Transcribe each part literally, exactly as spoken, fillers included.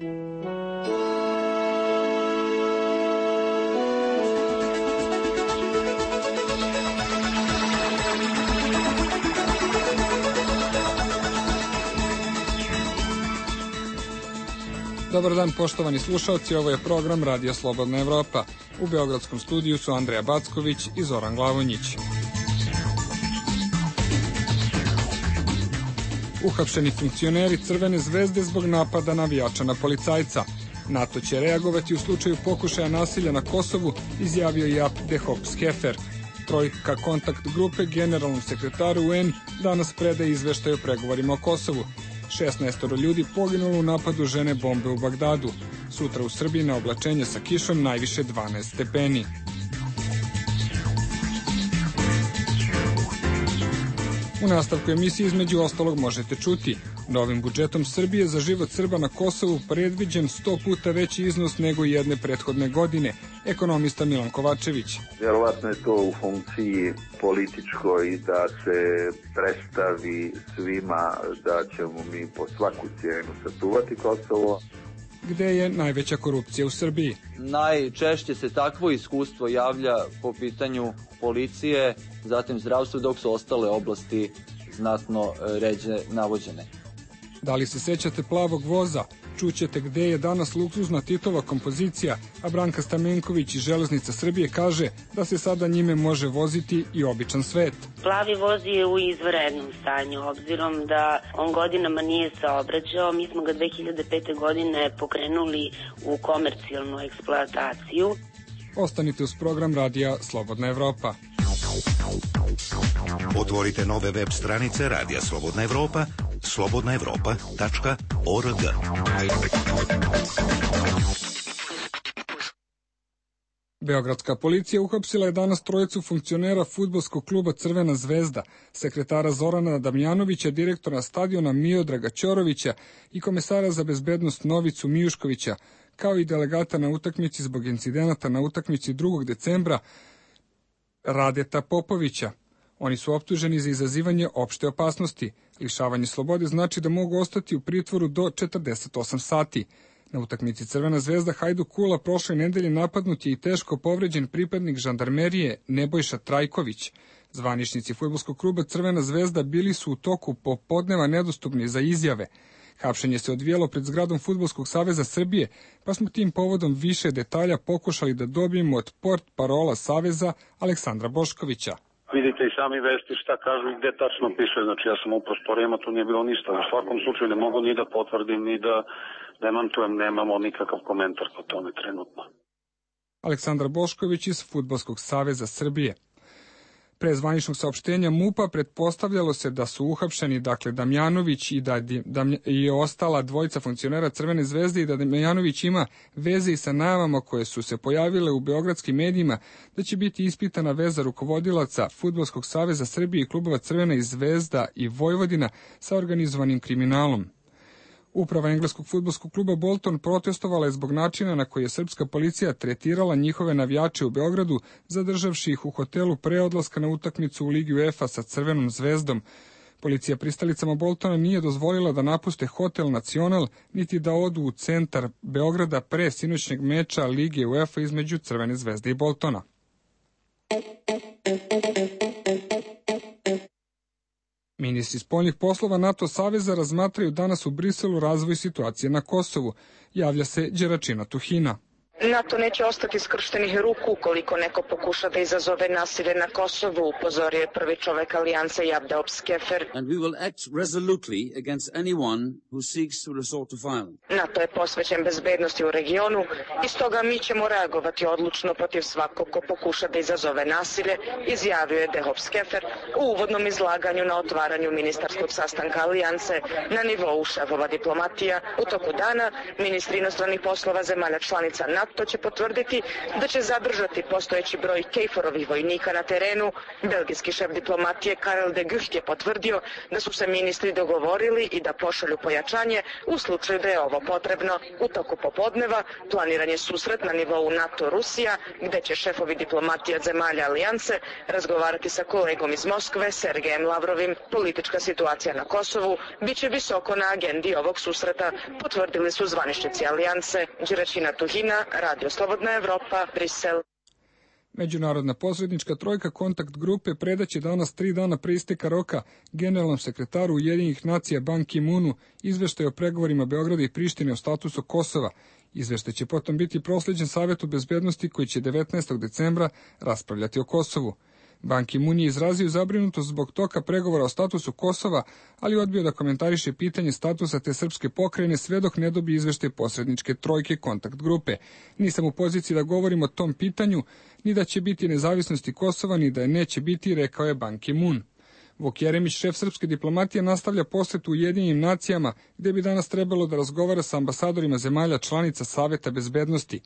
Dobar dan, poštovani slušalci, ovo je program Radio Slobodna Evropa. U beogradskom studiju su Andreja Backović i Zoran Glavonjić. Uhapšeni funkcioneri Crvene zvezde zbog napada navijača na policajca. NATO će reagovati u slučaju pokušaja nasilja na Kosovu, izjavio je Jaap de Hoop Scheffer. Trojka kontakt grupe generalnom sekretaru U N danas predaje izveštaj o pregovorima o Kosovu. šesnaestoro ljudi poginulo u napadu žene bombe u Bagdadu. Sutra u Srbiji na oblačenje sa kišom najviše dvanaest stepeni. U nastavku emisije između ostalog možete čuti: novim budžetom Srbije za život Srba na Kosovu predviđen sto puta veći iznos nego jedne prethodne godine. Ekonomista Milan Kovačević. Vjerovatno je to u funkciji političkoj da se predstavi svima da ćemo mi po svaku cijenu sačuvati Kosovo. Gde je najveća korupcija u Srbiji? Najčešće se takvo iskustvo javlja po pitanju policije, zatim zdravstva, dok su ostale oblasti znatno ređe navođene. Da li se sećate plavog voza? Čućete gde je danas luksuzna Titova kompozicija, a Branka Stamenković iz Železnica Srbije kaže da se sada njime može voziti i običan svet. Plavi voz je u izvanrednom stanju, obzirom da on godinama nije saobraćao. Mi smo ga dve hiljade pete. godine pokrenuli u komercijalnu eksploataciju. Ostanite uz program Radija Slobodna Evropa. Otvorite nove web stranice Radija Slobodna Evropa, slobodna evropa tačka org. Beogradska policija uhapsila je danas trojicu funkcionera fudbalskog kluba Crvena zvezda, sekretara Zorana Damjanovića, direktora stadiona Miodraga Ćorovića i komesara za bezbednost Novicu Mijuškovića, kao i delegata na utakmici zbog incidenata na utakmici drugog decembra Radeta Popovića. Oni su optuženi za izazivanje opšte opasnosti. Lišavanje slobode znači da mogu ostati u pritvoru do četrdeset osam sati. Na utakmici Crvena zvezda Hajduk Kula prošle nedelje napadnut je i teško povređen pripadnik žandarmerije Nebojša Trajković. Zvaničnici fudbalskog kluba Crvena zvezda bili su u toku popodneva nedostupni za izjave. Hapšenje se odvijelo pred zgradom Fudbalskog saveza Srbije, pa smo tim povodom više detalja pokušali da dobijemo od port parola Saveza Aleksandra Boškovića. Vidite i sami vesti šta kažu i gde tačno piše, znači ja sam u prostorima, tu nije bilo ništa. U svakom slučaju ne mogu ni da potvrdim, ni da demantujem, nemamo nikakav komentar po tome trenutno. Aleksandar Bošković iz Fudbalskog saveza Srbije. Pre zvaničnog saopštenja MUP-a pretpostavljalo se da su uhapšeni, dakle, Damjanović i da je ostala dvojica funkcionera Crvene zvezde i da Damjanović ima veze i sa najavama koje su se pojavile u beogradskim medijima da će biti ispitana veza rukovodilaca Fudbalskog saveza Srbije i klubova Crvena i Zvezda i Vojvodina sa organizovanim kriminalom. Uprava engleskog fudbalskog kluba Bolton protestovala je zbog načina na koji je srpska policija tretirala njihove navijače u Beogradu, zadržavši ih u hotelu pre odlaska na utakmicu u Ligi UEFA sa Crvenom zvezdom. Policija pristalicama Boltona nije dozvolila da napuste hotel Nacional, niti da odu u centar Beograda pre sinoćnjeg meča Lige UEFA između Crvene zvezde i Boltona. Ministri spoljnih poslova NATO saveza razmatraju danas u Briselu razvoj situacije na Kosovu, javlja se Đeračina Tuhina. NATO neće ostati skrštenih ruku ukoliko neko pokuša da izazove nasilje na Kosovu, upozorio je prvi čovek alijanse Jaap de Hoop Scheffer. And we will act resolutely against anyone who seeks to resort to violence. NATO je posvećen bezbednosti u regionu i stoga mi ćemo reagovati odlučno protiv svakog ko pokuša da izazove nasilje, izjavio je de Hoop Scheffer u uvodnom izlaganju na otvaranju ministarskog sastanka alijanse na nivou šefova diplomatija. U toku dana ministri inostranih poslova zemalja članica NATO NATO će potvrditi da će zadržati postojeći broj Kejforovih vojnika na terenu. Belgijski šef diplomatije Karel de Gucht je potvrdio da su se ministri dogovorili i da pošalju pojačanje u slučaju da je ovo potrebno. U toku popodneva planiran je susret na nivou NATO-Rusija, gde će šefovi diplomatija zemalja alijanse razgovarati sa kolegom iz Moskve, Sergejem Lavrovim. Politička situacija na Kosovu biće visoko na agendi ovog susreta, potvrdili su zvaničnici alijanse. Đuračina Tuhina, Radio Slobodna Evropa, Brisel. Međunarodna posrednička trojka kontakt grupe predaće danas tri dana pre isteka roka generalnom sekretaru Ujedinjenih nacija Ban Ki-moonu izveštaj o pregovorima Beograda i Prištine o statusu Kosova. Izveštaj će potom biti prosleđen Savetu bezbednosti koji će devetnaestog decembra raspravljati o Kosovu. Ban Ki-moon je izrazio zabrinutost zbog toka pregovora o statusu Kosova, ali odbio da komentariše pitanje statusa te srpske pokrajine sve dok ne dobije izveštaj posredničke trojke kontakt grupe. Nisam u poziciji da govorim o tom pitanju, ni da će biti nezavisnosti Kosova, ni da je neće biti, rekao je Ban Ki-moon. Vuk Jeremić, šef srpske diplomatije, nastavlja posetu Ujedinjenim nacijama, gde bi danas trebalo da razgovara sa ambasadorima zemalja članica Saveta bezbednosti.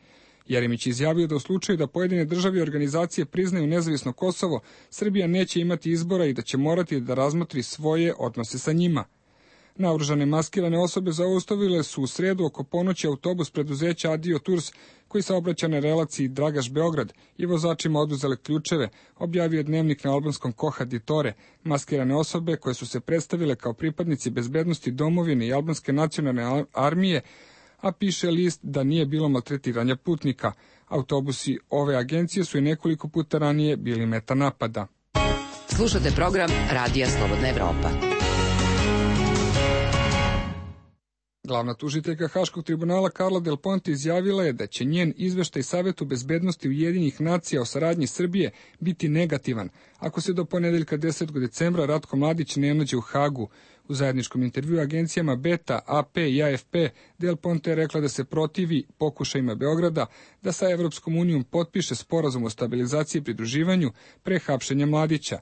Jeremić je izjavio da u slučaju da pojedine države i organizacije priznaju nezavisno Kosovo, Srbija neće imati izbora i da će morati da razmotri svoje odnose sa njima. Naoružane maskirane osobe zaustavile su u sredu oko ponoći autobus preduzeća Adio Tours koji saobraća na relaciji Dragaš-Beograd i vozačima oduzele ključeve, objavio je dnevnik na albanskom Koha Ditore. Maskirane osobe koje su se predstavile kao pripadnici bezbednosti domovine i albanske nacionalne armije, a piše list da nije bilo maltretiranja putnika. Autobusi ove agencije su i nekoliko puta ranije bili meta napada. Slušate program Radija Slobodna Evropa. Glavna tužiteljka Haškog tribunala Carla Del Ponte izjavila je da će njen izveštaj Savetu bezbednosti Ujedinjenih nacija o saradnji Srbije biti negativan ako se do ponedeljka desetog decembra Ratko Mladić ne nađe u Hagu. U zajedničkom intervjuu agencijama Beta, A P i A F P, Del Ponte je rekla da se protivi pokušajima Beograda da sa Evropskom unijom potpiše sporazum o stabilizaciji i pridruživanju pre hapšenja Mladića.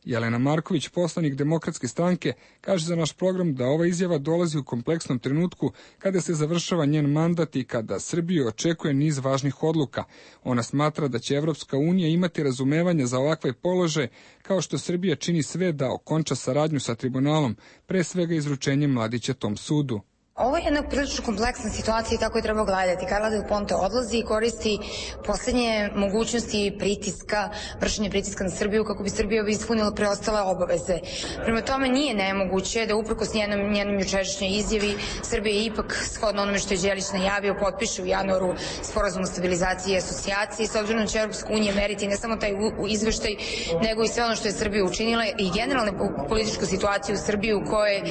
Jelena Marković, poslanik Demokratske stranke, kaže za naš program da ova izjava dolazi u kompleksnom trenutku kada se završava njen mandat i kada Srbiju očekuje niz važnih odluka. Ona smatra da će Evropska unija imati razumevanja za ovakve položaje, kao što Srbija čini sve da okonča saradnju sa tribunalom, pre svega izručenjem Mladića tom sudu. Ovo je jedna prilično kompleksna situacija i tako je treba gledati. Carla Del Ponte odlazi i koristi poslednje mogućnosti pritiska, vršenje pritiska na Srbiju kako bi Srbija ispunila preostale obaveze. Prema tome nije nemoguće da uprkos njenom, njenom jučerašnjoj izjavi Srbija ipak, shodno onome što je Đelić najavio, potpiše u januaru sporazum o stabilizaciji i asocijaciji, s obzirom da će Evropska unija meriti ne samo taj izveštaj, nego i sve ono što je Srbija učinila i generalnu političku situaciju u Srbiji u kojoj e,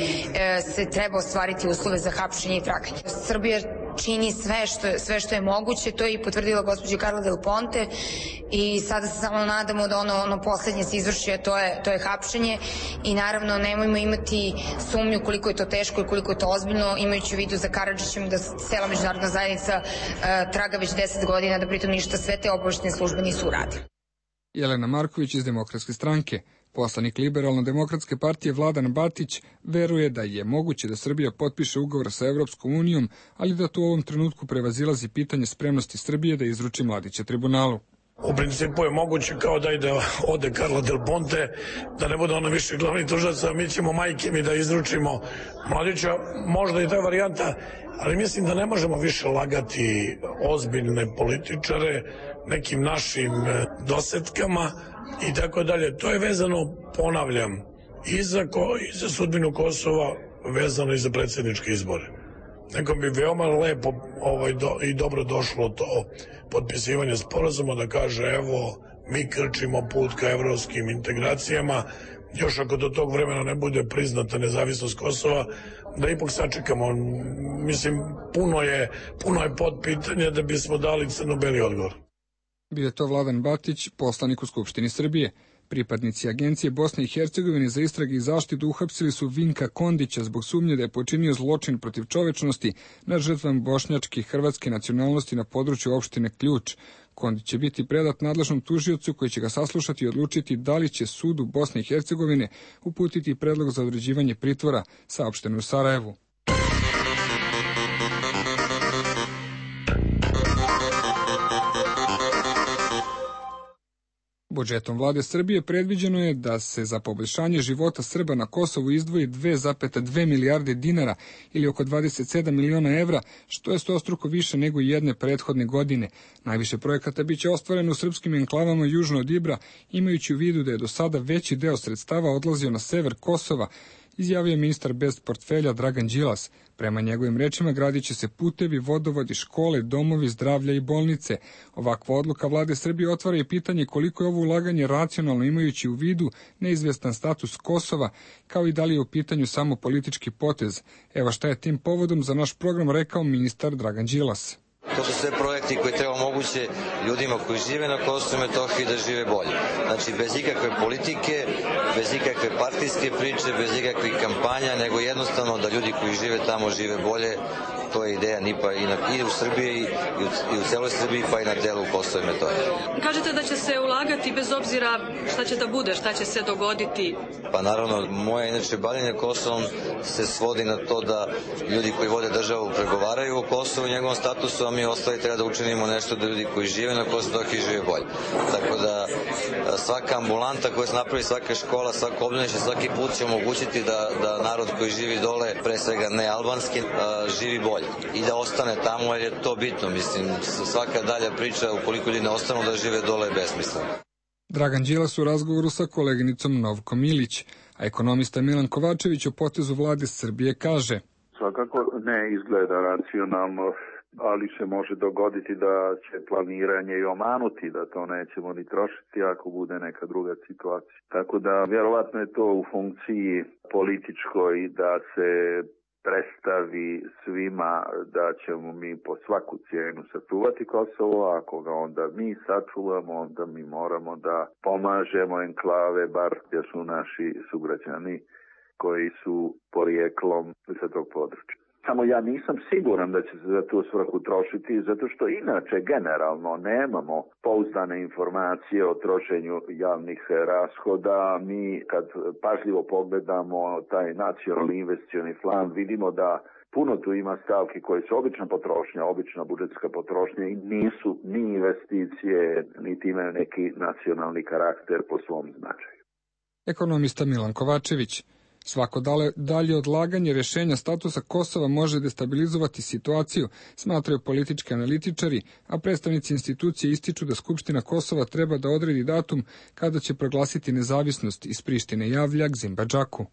se treba ostvariti uslove za hapšenje i traganje. Srbija čini sve što, je, sve što je moguće, to je i potvrdila gospođa Carla Del Ponte i sada se samo nadamo da ono, ono poslednje se izvrši, a to je, to je hapšenje i naravno nemojmo imati sumnju koliko je to teško i koliko je to ozbiljno, imajući u vidu za Karadžićem da cela međunarodna zajednica uh, traga već deset godina, da pritom ništa sve te obaveštene službe nisu uradile. Jelena Marković iz Demokratske stranke. Poslanik Liberalno-demokratske partije Vladan Batić veruje da je moguće da Srbija potpiše ugovor sa Evropskom unijom, ali da to u ovom trenutku prevazilazi pitanje spremnosti Srbije da izruči Mladića tribunalu. U principu je moguće kao da ide ode Carla Del Ponte, da ne bude ono više glavni tužilac, a mi ćemo majke mi da izručimo Mladića, možda i ta varijanta, ali mislim da ne možemo više lagati ozbiljne političare nekim našim dosetkama i tako dalje. To je vezano, ponavljam, i za, ko, i za sudbinu Kosova, vezano i za predsjedničke izbore. Nekom bi veoma lepo ovaj, do, i dobro došlo to potpisivanje sporazuma da kaže evo mi krčimo put ka evropskim integracijama, još ako do tog vremena ne bude priznata nezavisnost Kosova, da ipak sačekamo. Mislim, puno je, puno je podpitanje da bismo dali crno-beli odgovor. Bio je to Vladan Batić, poslanik u Skupštini Srbije. Pripadnici Agencije Bosne i Hercegovine za istrage i zaštitu uhapsili su Vinka Kondića zbog sumnje da je počinio zločin protiv čovečnosti nad žrtvama bošnjačke i hrvatske nacionalnosti na području opštine Ključ. Kondić će biti predat nadležnom tužiocu koji će ga saslušati i odlučiti da li će sudu Bosne i Hercegovine uputiti predlog za određivanje pritvora, saopšteno u Sarajevu. Budžetom vlade Srbije predviđeno je da se za poboljšanje života Srba na Kosovu izdvoji dve zarez dve milijarde dinara ili oko dvadeset sedam miliona evra, što je stostruko više nego jedne prethodne godine. Najviše projekata biće ostvareno u srpskim enklavama južno od Ibra, imajući u vidu da je do sada veći deo sredstava odlazio na sever Kosova, izjavio ministar bez portfelja Dragan Đilas. Prema njegovim rečima gradit će se putevi, vodovodi, škole, domovi zdravlja i bolnice. Ovakva odluka vlade Srbije otvara i pitanje koliko je ovo ulaganje racionalno, imajući u vidu neizvestan status Kosova, kao i da li je u pitanju samo politički potez. Evo šta je tim povodom za naš program rekao ministar Dragan Đilas. To su sve projekti koji treba omoguće ljudima koji žive na Kosovu i Metohiji da žive bolje. Znači, bez ikakve politike, bez ikakve partijske priče, bez ikakvih kampanja, nego jednostavno da ljudi koji žive tamo žive bolje. To je ideja N I P-a i, na, i u Srbiji i u, i u celoj Srbiji, pa i na delu Kosova i Metohije. Kažete da će se ulagati bez obzira šta će da bude, šta će se dogoditi? Pa naravno, moje inače bavljenje Kosovom se svodi na to da ljudi koji vode državu pregovaraju o Kosovu i njegovom statusu, a mi ostali treba da učinimo nešto da ljudi koji žive na Kosovu i žive bolje. Tako da svaka ambulanta koja se napravi, svaka škola, svako obdanište, svaki put će omogućiti da, da narod koji živi dole, pre svega ne albanski, živi bolje i da ostane tamo, jer je to bitno. Mislim, svaka dalja priča, ukoliko ljudi ne ostanu da žive dole, je besmislena. Dragan Đilas u razgovoru sa koleginicom Novkom Ilić, a ekonomista Milan Kovačević o potezu vlade Srbije kaže: Svakako ne izgleda racionalno, ali se može dogoditi da će planiranje i omanuti, da to nećemo ni trošiti ako bude neka druga situacija. Tako da vjerovatno je to u funkciji političkoj da se predstavi svima da ćemo mi po svaku cijenu sačuvati Kosovo, a ako ga onda mi sačuvamo, onda mi moramo da pomažemo enklave, bar gdje su naši sugrađani koji su porijeklom sa tog područja. Samo ja nisam siguran da će se za tu svrhu trošiti, zato što inače generalno nemamo pouzdane informacije o trošenju javnih rashoda. Mi kad pažljivo pogledamo taj nacionalni investicioni plan, vidimo da puno tu ima stavki koje su obična potrošnja, obična budžetska potrošnja i nisu ni investicije, niti imaju neki nacionalni karakter po svom značaju. Ekonomista Milan Kovačević. Svako dalje odlaganje rješenja statusa Kosova može destabilizovati situaciju, smatraju politički analitičari, a predstavnici institucije ističu da Skupština Kosova treba da odredi datum kada će proglasiti nezavisnost, iz Prištine javlja Gzim Badžaku.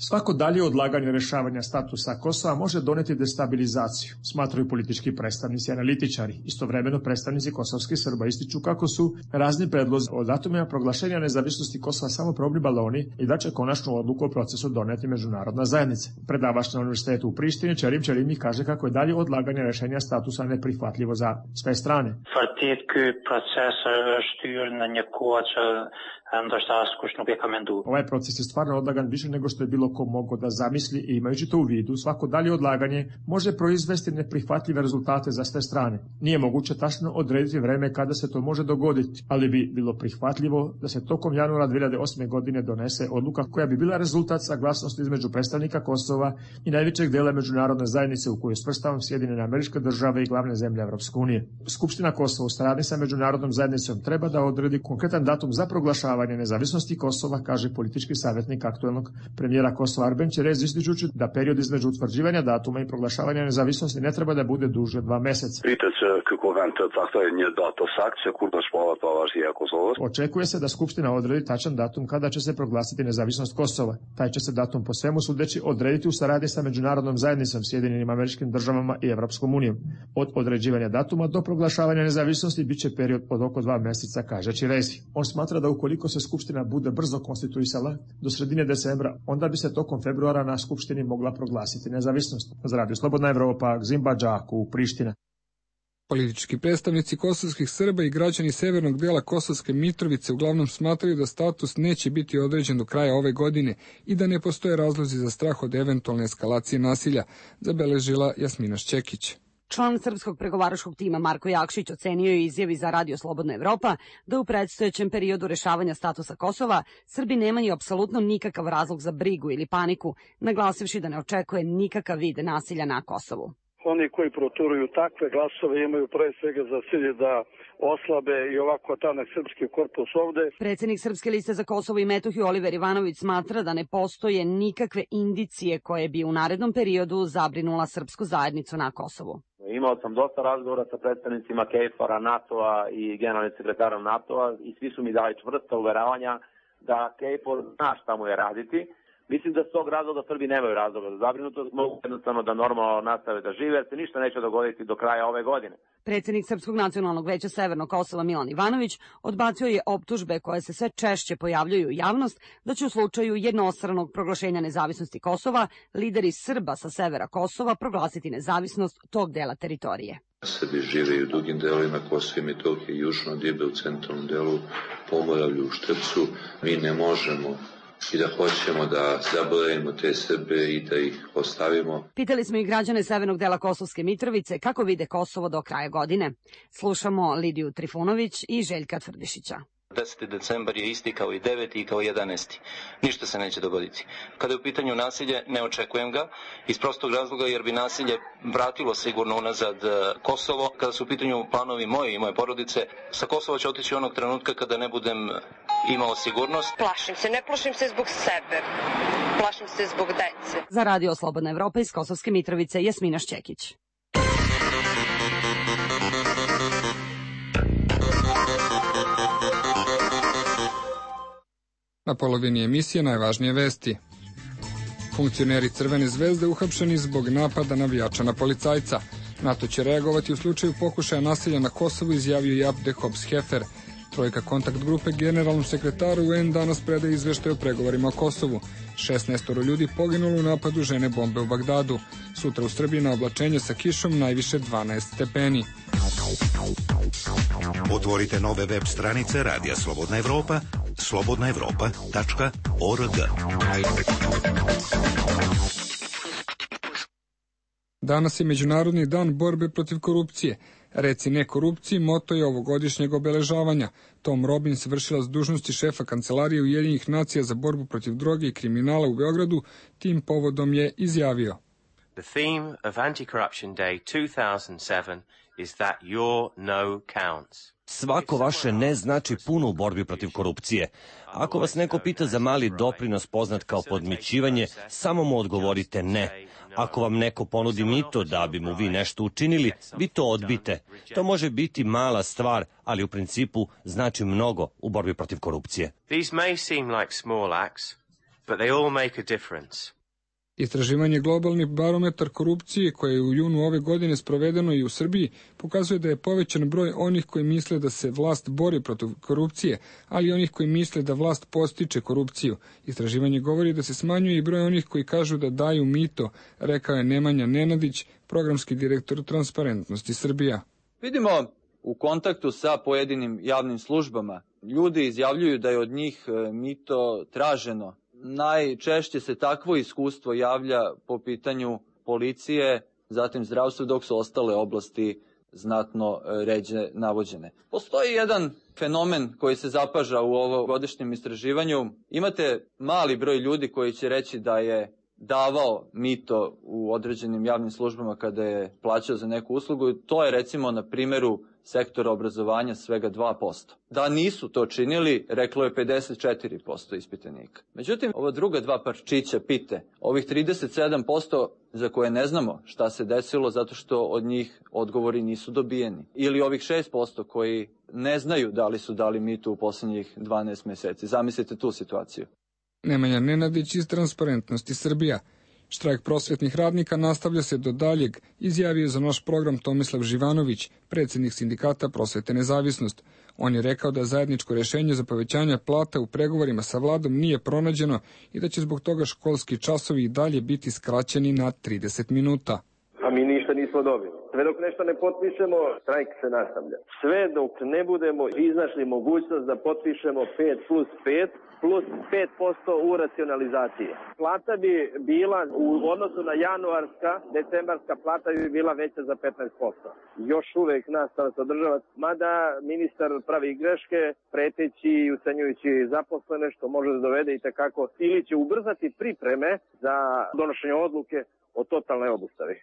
Svako dalje odlaganje rešavanja statusa Kosova može doneti destabilizaciju, smatraju politički predstavnici i analitičari. Istovremeno predstavnici kosovskih Srba ističu kako su razni predlozi o datumima proglašenja nezavisnosti Kosova samo probni baloni i da će konačnu odluku o procesu doneti međunarodna zajednica. Predavač na Univerzitetu u Prištini Čerim Čerimi kaže kako je dalje odlaganje rešenja statusa neprihvatljivo za sve strane. Ovaj proces je stvarno odlagan više nego što je bilo ko mogao da zamisli i imajući to u vidu, svako dalje odlaganje može proizvesti neprihvatljive rezultate za sve strane. Nije moguće tačno odrediti vreme kada se to može dogoditi, ali bi bilo prihvatljivo da se tokom januara dve hiljade osme. godine donese odluka koja bi bila rezultat saglasnosti između predstavnika Kosova i najvećeg dela međunarodne zajednice u kojoj svrstavam Sjedinjene Američke Države i glavne zemlje Evropske unije. Skupština Kosova u saradnji sa međunarodnom zajednicom treba da odredi konkretan datum za proglašavanje nezavisnosti Kosova, kaže politički savjetnik aktuelnog premijera Kosova Arben Čerez, ističući da period između utvrđivanja datuma i proglašavanja nezavisnosti ne treba da bude duži od dva meseca. Očekuje se da Skupština odredi tačan datum kada će se proglasiti nezavisnost Kosova. Taj će se datum po svemu sudeći odrediti u saradnji sa međunarodnom zajednicom, Sjedinjenim Američkim Državama i Evropskom unijom. Od određivanja datuma do proglašavanja nezavisnosti biće period od oko dva meseca, kaže Čirezi. On smatra da ukoliko se Skupština bude brzo konstituisala do sredine decembra, onda bi se tokom februara na Skupštini mogla proglasiti nezavisnost. Za Radio Slobodna Evropa, Gzim Badžaku, Priština. Politički predstavnici kosovskih Srba i građani severnog dela Kosovske Mitrovice uglavnom smatraju da status neće biti određen do kraja ove godine i da ne postoje razlozi za strah od eventualne eskalacije nasilja, zabeležila Jasmina Šćekić. Član srpskog pregovaračkog tima Marko Jakšić ocenio je izjavi za Radio Slobodna Evropa da u predstojećem periodu rešavanja statusa Kosova Srbi nemaju apsolutno nikakav razlog za brigu ili paniku, naglasivši da ne očekuje nikakav vid nasilja na Kosovu. Oni koji proturuju takve glasove imaju pre svega za cilj da oslabe i ovako tanak srpski korpus ovde. Predsednik Srpske liste za Kosovo i Metohiju Oliver Ivanović smatra da ne postoje nikakve indicije koje bi u narednom periodu zabrinula srpsku zajednicu na Kosovu. Imao sam dosta razgovora sa predstavnicima KFOR-a, NATO-a i generalnim sekretarom NATO-a i svi su mi dali čvrsta uveravanja da KFOR zna šta mu je raditi. Mislim da s tog razloga Srbi nemaju razloga za zabrinutost, mogu jednostavno da normalno nastave da žive, jer se ništa neće dogoditi do kraja ove godine. Predsednik Srpskog nacionalnog veća Severnog Kosova Milan Ivanović odbacio je optužbe koje se sve češće pojavljuju u javnost da će u slučaju jednostranog proglašenja nezavisnosti Kosova lideri Srba sa severa Kosova proglasiti nezavisnost tog dela teritorije. Srbi žive u drugim delovima Kosova i Metohije, južno od Ibe, u centralnom delu, Pomoravlju, u Štrpcu. Mi ne možemo i da hoćemo da zaboravimo te Srbe i da ih ostavimo. Pitali smo i građane severnog dela Kosovske Mitrovice kako vide Kosovo do kraja godine. Slušamo Lidiju Trifunović i Željka Tvrdišića. deseti decembar je isti kao i deveti i kao jedanaesti. Ništa se neće dogoditi. Kada je u pitanju nasilje, ne očekujem ga, iz prostog razloga jer bi nasilje vratilo sigurno unazad Kosovo. Kada su u pitanju planovi moje i moje porodice, sa Kosova će otići onog trenutka kada ne budem imao sigurnost. Plašim se, ne plašim se zbog sebe, plašim se zbog dece. Za Radio Slobodna Evropa iz Kosovske Mitrovice, Jasmina Šćekić. Na polovini emisije najvažnije vesti. Funkcioneri Crvene zvezde uhapšeni zbog napada navijača na policajca. NATO će reagovati u slučaju pokušaja nasilja na Kosovu, izjavio i Abde Hobbs-Hefer. Trojka kontakt grupe generalnom sekretaru U N danas predaje izveštaj o pregovorima o Kosovu. šesnaestoro ljudi poginulo u napadu žene bombe u Bagdadu. Sutra u Srbiji na oblačenje sa kišom najviše dvanaest stepeni. Otvorite nove web stranice Radija Slobodna Evropa, slobodna evropa tačka org. Danas je Međunarodni dan borbe protiv korupcije. Reci ne korupciji moto je ovogodišnjeg obeležavanja. Tom Robbins, vršilac dužnosti šefa Kancelarije Ujedinjenih nacija za borbu protiv droge i kriminala u Beogradu, tim povodom je izjavio: The theme of Anti-Corruption Day two thousand seven is that your no counts. Svako vaše ne znači puno u borbi protiv korupcije. Ako vas neko pita za mali doprinos poznat kao podmićivanje, samo mu odgovorite ne. Ako vam neko ponudi mito da bi mu vi nešto učinili, vi to odbite. To može biti mala stvar, ali u principu znači mnogo u borbi protiv korupcije. These may seem like small acts, but they all make a difference. Istraživanje Globalni barometar korupcije koje je u junu ove godine sprovedeno i u Srbiji pokazuje da je povećan broj onih koji misle da se vlast bori protiv korupcije, ali i onih koji misle da vlast podstiče korupciju. Istraživanje govori da se smanjuje i broj onih koji kažu da daju mito, rekao je Nemanja Nenadić, programski direktor Transparentnosti Srbija. Vidimo u kontaktu sa pojedinim javnim službama, ljudi izjavljuju da je od njih mito traženo. Najčešće se takvo iskustvo javlja po pitanju policije, zatim zdravstva, dok su ostale oblasti znatno ređe navođene. Postoji jedan fenomen koji se zapaža u ovogodišnjem istraživanju. Imate mali broj ljudi koji će reći da je davao mito u određenim javnim službama kada je plaćao za neku uslugu. To je recimo na primjeru sektora obrazovanja svega dva posto. Da nisu to činili, reklo je pedeset četiri posto ispitanika. Međutim, ova druga dva parčića pite, ovih trideset sedam posto za koje ne znamo šta se desilo zato što od njih odgovori nisu dobijeni. Ili ovih šest posto koji ne znaju da li su dali mito u posljednjih dvanaest meseci. Zamislite tu situaciju. Nemanja Nenadić iz Transparentnosti Srbija. Štrajk prosvetnih radnika nastavlja se do daljeg, izjavio za naš program Tomislav Živanović, predsjednik sindikata Prosvete nezavisnost. On je rekao da zajedničko rješenje za povećanje plata u pregovorima sa vladom nije pronađeno i da će zbog toga školski časovi i dalje biti skraćeni na trideset minuta. A mi ništa nismo dobili. Sve dok nešto ne potpišemo, štrajk se nastavlja. Sve dok ne budemo iznašli mogućnost da potpišemo pet plus pet, plus pet posto u racionalizaciji. Plata bi bila u odnosu na januarska, decembarska plata bi bila veća za petnaest posto. Još uvek nastava se održava, mada ministar pravi greške, preteći i ucenjujući zaposlene, što može da dovede i tekako, ili će ubrzati pripreme za donošenje odluke o totalnoj obustavi.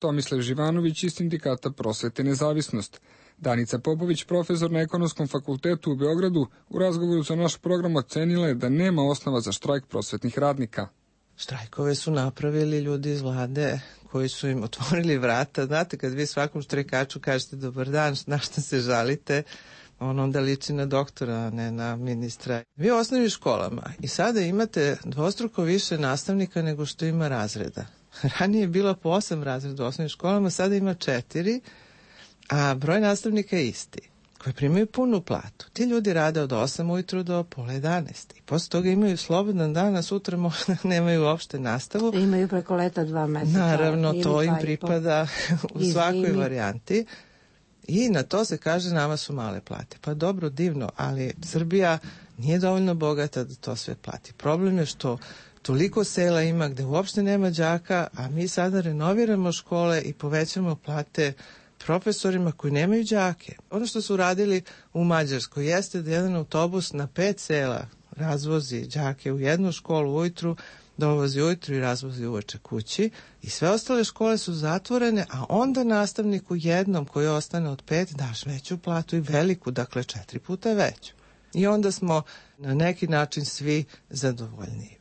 Tomislav Živanović iz Sindikata Prosvete Nezavisnost. Danica Popović, profesor na Ekonomskom fakultetu u Beogradu, u razgovoru za naš program ocenila je da nema osnova za štrajk prosvetnih radnika. Štrajkove su napravili ljudi iz vlade koji su im otvorili vrata. Znate, kad vi svakom štrajkaču kažete dobar dan, na šta se žalite, on onda liči na doktora, a ne na ministra. Vi u osnovnim školama i sada imate dvostruko više nastavnika nego što ima razreda. Ranije je bilo po osam razreda u osnovnim školama, sada ima četiri, a broj nastavnika je isti, koji primaju punu platu. Ti ljudi rade od osam ujutru do pola jedanaest. I posle toga imaju slobodan dan, a sutra možda nemaju uopšte nastavu. Imaju preko leta dva meseca. Naravno, to im pripada u svakoj varijanti. I na to se kaže nama su male plate. Pa dobro, divno, ali Srbija nije dovoljno bogata da to sve plati. Problem je što toliko sela ima gde uopšte nema đaka, a mi sada renoviramo škole i povećamo plate profesorima koji nemaju đake. Ono što su radili u Mađarskoj jeste da jedan autobus na pet sela razvozi đake u jednu školu ujutru, dovozi ujutru i razvozi uveče kući i sve ostale škole su zatvorene, a onda nastavniku jednom koji ostane od pet daš veću platu i veliku, dakle četiri puta veću. I onda smo na neki način svi zadovoljniji.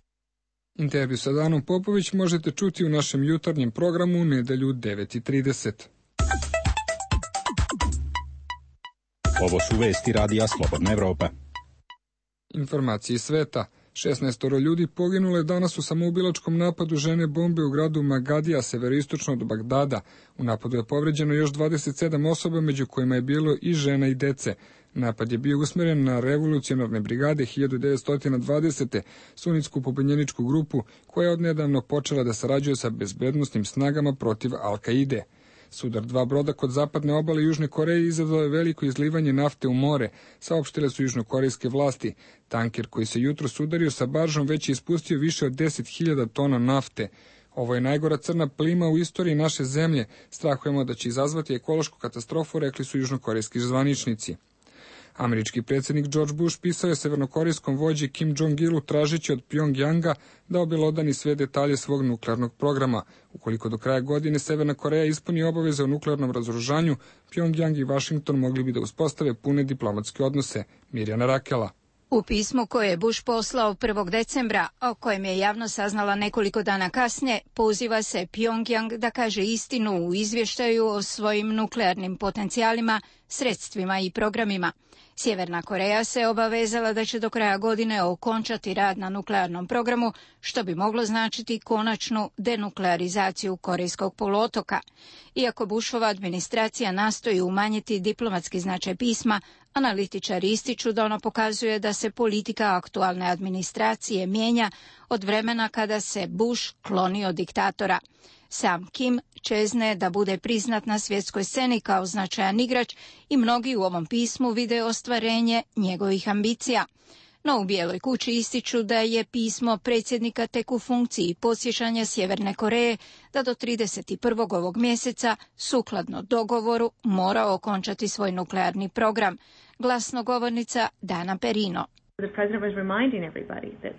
Intervju sa Danom Popović možete čuti u našem jutarnjem programu u nedelju u devet i trideset. Ovo su vesti Radija Slobodna Evropa. Informacije iz sveta. šesnaestoro ljudi poginulo je danas u samoubilačkom napadu žene bombe u gradu Magadija, severistočno od Bagdada. U napadu je povređeno još dvadeset sedam osoba, među kojima je bilo i žena i dece. Napad je bio usmeren na revolucionarne brigade hiljadu devetsto dvadesete. sunitsku pobunjeničku grupu koja je odnedavno počela da sarađuje sa bezbednosnim snagama protiv Al-Kaide. Sudar dva broda kod zapadne obale Južne Koreje izazvao je veliko izlivanje nafte u more, saopštile su južnokorejske vlasti. Tanker koji se jutro sudario sa baržom već je ispustio više od deset hiljada tona nafte. Ovo je najgora crna plima u istoriji naše zemlje. Strahujemo da će izazvati ekološku katastrofu, rekli su južnokorejski zvaničnici. Američki predsjednik George Bush pisao je severnokorejskom vođi Kim Jong-ilu tražeći od Pjongjanga da obelodani sve detalje svog nuklearnog programa. Ukoliko do kraja godine Severna Koreja ispuni obaveze o nuklearnom razoružanju, Pjongjang i Washington mogli bi da uspostave pune diplomatske odnose. Mirjana Rakela. U pismu koje je Bush poslao prvog decembra, o kojem je javno saznala nekoliko dana kasnije, poziva se Pjongjang da kaže istinu u izvještaju o svojim nuklearnim potencijalima, sredstvima i programima. Sjeverna Koreja se obavezala da će do kraja godine okončati rad na nuklearnom programu, što bi moglo značiti konačnu denuklearizaciju Korejskog poluotoka. Iako Bushova administracija nastoji umanjiti diplomatski značaj pisma, analitičari ističu da ono pokazuje da se politika aktualne administracije mijenja od vremena kada se Bush klonio diktatora. Sam Kim čezne da bude priznat na svjetskoj sceni kao značajan igrač i mnogi u ovom pismu vide ostvarenje njegovih ambicija. No u Bijeloj kući ističu da je pismo predsjednika tek u funkciji podsjećanja Sjeverne Koreje da do trideset prvog ovog mjeseca, sukladno dogovoru, mora okončati svoj nuklearni program. Glasnogovornica Dana Perino.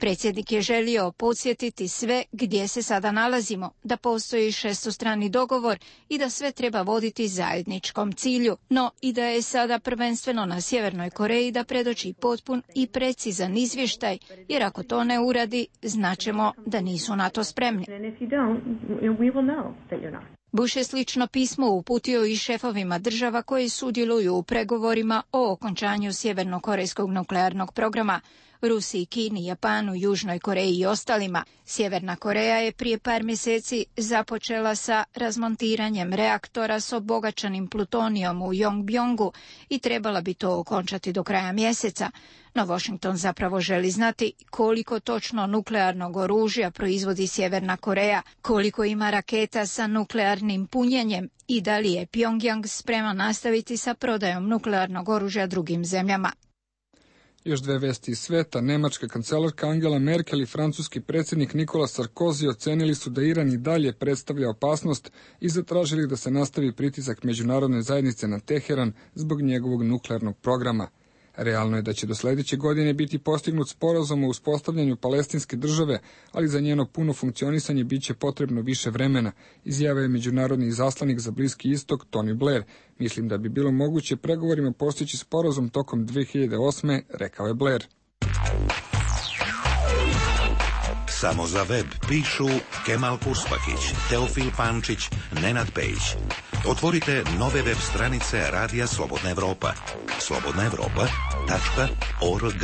Predsjednik je želio podsjetiti sve gdje se sada nalazimo, da postoji šestostrani dogovor i da sve treba voditi zajedničkom cilju, no i da je sada prvenstveno na Sjevernoj Koreji da predoči potpun i precizan izvještaj, jer ako to ne uradi, znaćemo da nisu na to spremni. Bush je slično pismo uputio i šefovima država koji sudjeluju u pregovorima o okončanju sjevernokorejskog nuklearnog programa, Rusiji, Kini, Japanu, Južnoj Koreji i ostalima. Sjeverna Koreja je prije par mjeseci započela sa razmontiranjem reaktora s obogaćenim plutonijom u Yongbjongu i trebala bi to okončati do kraja mjeseca. No Washington zapravo želi znati koliko točno nuklearnog oružja proizvodi Sjeverna Koreja, koliko ima raketa sa nuklearnim punjenjem i da li je Pjongjang spreman nastaviti sa prodajom nuklearnog oružja drugim zemljama. Još dve vesti iz sveta. Nemačka kancelarka Angela Merkel i francuski predsjednik Nikola Sarkozy ocenili su da Iran i dalje predstavlja opasnost i zatražili da se nastavi pritisak međunarodne zajednice na Teheran zbog njegovog nuklearnog programa. Realno je da će do sledeće godine biti postignut sporazum o uspostavljanju palestinske države, ali za njeno puno funkcionisanje biće potrebno više vremena, izjavio je međunarodni izaslanik za Bliski istok Tony Blair. Mislim da bi bilo moguće pregovorima postići sporazum tokom dve hiljade osme, rekao je Blair. Samo za web pišu Kemal Kurspakić, Teofil Pančić, Nenad Pejić. Otvorite nove web stranice Radija Slobodna Evropa. slobodna evropa tačka org.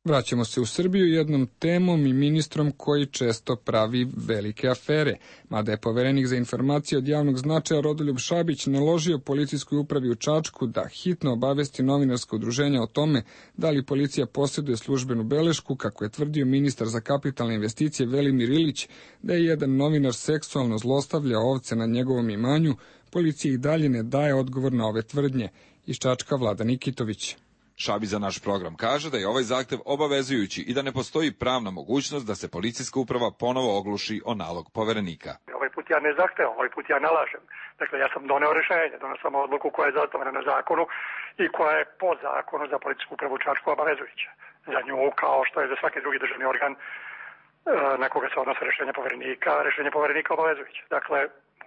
Vraćamo se u Srbiju jednom temom i ministrom koji često pravi velike afere. Mada je poverenik za informacije od javnog značaja Rodoljub Šabić naložio policijskoj upravi u Čačku da hitno obavesti novinarsko udruženje o tome da li policija posjeduje službenu belešku, kako je tvrdio ministar za kapitalne investicije Velimir Ilić, da je jedan novinar seksualno zlostavljao ovce na njegovom imanju, policija i dalje ne daje odgovor na ove tvrdnje. Iz Čačka Vlada Nikitović. Šabić za naš program kaže da je ovaj zahtev obavezujući i da ne postoji pravna mogućnost da se policijska uprava ponovo ogluši o nalog poverenika. Ovaj put ja ne zahtevam, ovaj put ja nalažem. Dakle, ja sam doneo rešenje, doneo sam odluku koja je zasnovana na zakonu i koja je po zakonu za policijsku upravu u Čačku obavezujuća. Za nju, kao što je za svaki drugi državni organ na koga se odnose rešenje poverenika, rešenje poverenika obavezujuće. Dakle,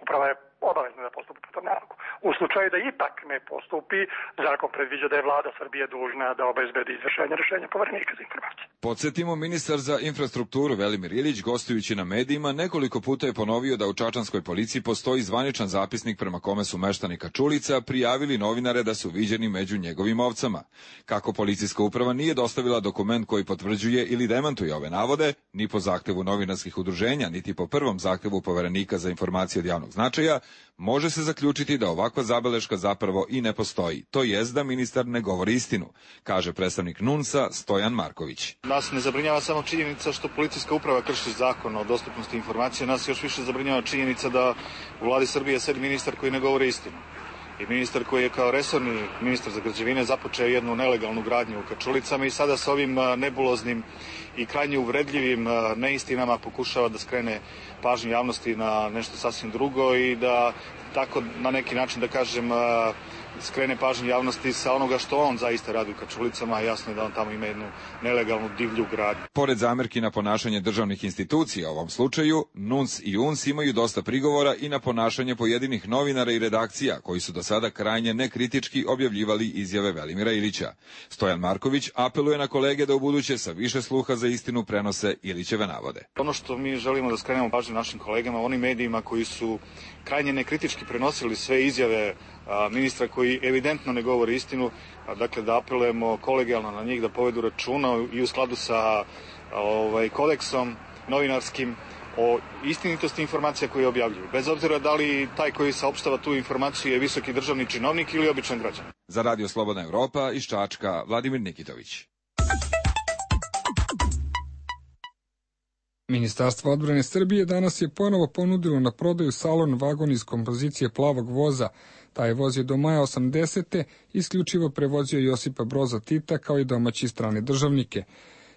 uprava je obavezna da postupi po tom nalogu. U slučaju da ipak ne postupi, zakon predviđa da je vlada Srbije dužna da obezbedi izvršenje rešenja poverenika za informacije. Podsjetimo, ministar za infrastrukturu Velimir Ilić, gostujući na medijima, nekoliko puta je ponovio da u čačanskoj policiji postoji zvaničan zapisnik prema kome su meštani Kačulica prijavili novinare da su viđeni među njegovim ovcama. Kako policijska uprava nije dostavila dokument koji potvrđuje ili demantuje ove navode, ni po zahtevu novinarskih udruženja, niti po prvom zahtevu poverenika za informacije od javnog značaja, može se zaključiti da ovakva zabeleška zapravo i ne postoji. To jest da ministar ne govori istinu, kaže predstavnik NUNS-a Stojan Marković. Nas ne zabrinjava samo činjenica što policijska uprava krši zakon o dostupnosti informacija, nas još više zabrinjava činjenica da u vladi Srbije sedi ministar koji ne govori istinu. I ministar koji je kao resorni ministar za građevine započeo jednu nelegalnu gradnju u Kačulicama i sada sa ovim nebuloznim i krajnje uvredljivim neistinama pokušava da skrene pažnju javnosti na nešto sasvim drugo i da tako na neki način, da kažem, skrene pažnju javnosti sa onoga što on zaista radi u Kačulicama, a jasno je da on tamo ima jednu nelegalnu divlju gradnju. Pored zamerki na ponašanje državnih institucija u ovom slučaju, NUNS i UNS imaju dosta prigovora i na ponašanje pojedinih novinara i redakcija koji su do sada krajnje nekritički objavljivali izjave Velimira Ilića. Stojan Marković apeluje na kolege da ubuduće sa više sluha za istinu prenose Ilićeve navode. Ono što mi želimo da skrenemo pažnju našim kolegama, onim medijima koji su krajnje nekritički prenosili sve izjave a, ministra koji evidentno ne govori istinu, a, dakle da apelujemo kolegijalno na njih da povedu računa i u skladu sa a, ovaj, kodeksom novinarskim o istinitosti informacija koje objavljuju. Bez obzira da li taj koji saopštava tu informaciju je visoki državni činovnik ili običan građanin. Za Radio Slobodna Evropa iz Čačka Vladimir Nikitović. Ministarstvo odbrane Srbije danas je ponovo ponudilo na prodaju salon vagon iz kompozicije Plavog voza. Taj voz je do maja osamdesete isključivo prevozio Josipa Broza Tita kao i domaći strane državnike.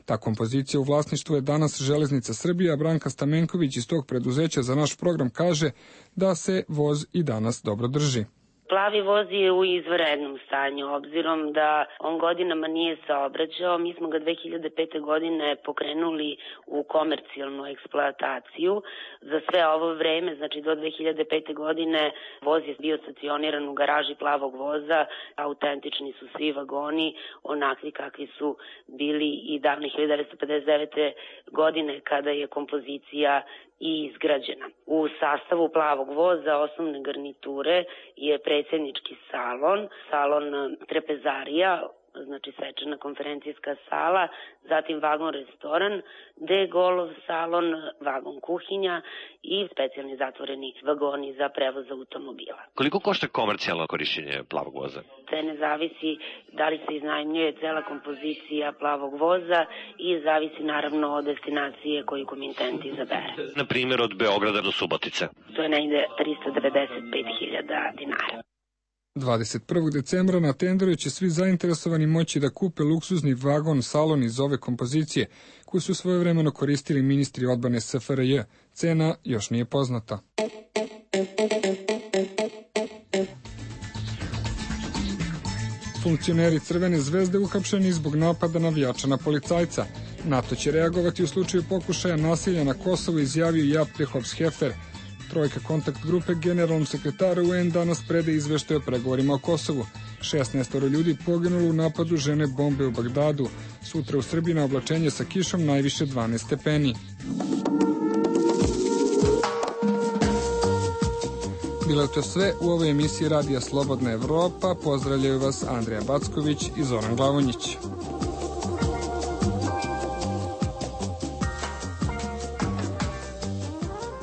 Ta kompozicija u vlasništvu je danas Železnica Srbije, a Branka Stamenković iz tog preduzeća za naš program kaže da se voz i danas dobro drži. Plavi voz je u izvanrednom stanju, obzirom da on godinama nije saobraćao. Mi smo ga dve hiljade pete. godine pokrenuli u komercijalnu eksploataciju. Za sve ovo vreme, znači do dve hiljade pete. godine, voz je bio stacioniran u garaži Plavog voza. Autentični su svi vagoni, onakvi kakvi su bili i davne hiljade devetsto pedeset devete. godine kada je kompozicija i izgrađena. U sastavu Plavog voza osnovne garniture je predsjednički salon, salon trapezarija, znači svečana konferencijska sala, zatim vagon restoran, de-golov salon, vagon kuhinja i specijalni zatvoreni vagoni za prevoz automobila. Koliko košta komercijalno korišćenje Plavog voza? Te ne zavisi da li se iznajmljuje cela kompozicija Plavog voza i zavisi naravno od destinacije koju komitent izabere. Na primjer od Beograda do Subotice? To je negde trista devedeset pet hiljada dinara. dvadeset prvog decembra na tenderu će svi zainteresovani moći da kupe luksuzni vagon salon iz ove kompozicije, koju su svojevremeno koristili ministri odbrane S F R J. Cena još nije poznata. funkcioneri Crvene zvezde uhapšeni zbog napada navijača na policajca. NATO će reagovati u slučaju pokušaja nasilja na Kosovu, izjavio Jaap Hops-Heffer. Trojka kontakt grupe generalnom sekretaru U N danas prede izveštaj o pregovorima o Kosovu. šesnaestoro ljudi poginulo u napadu žene bombe u Bagdadu. Sutra u Srbiji na oblačenje sa kišom najviše dvanaest stepeni. Bilo je to sve u ovoj emisiji Radija Slobodna Evropa. Pozdravljaju vas Andrija Backović i Zoran Glavonjić.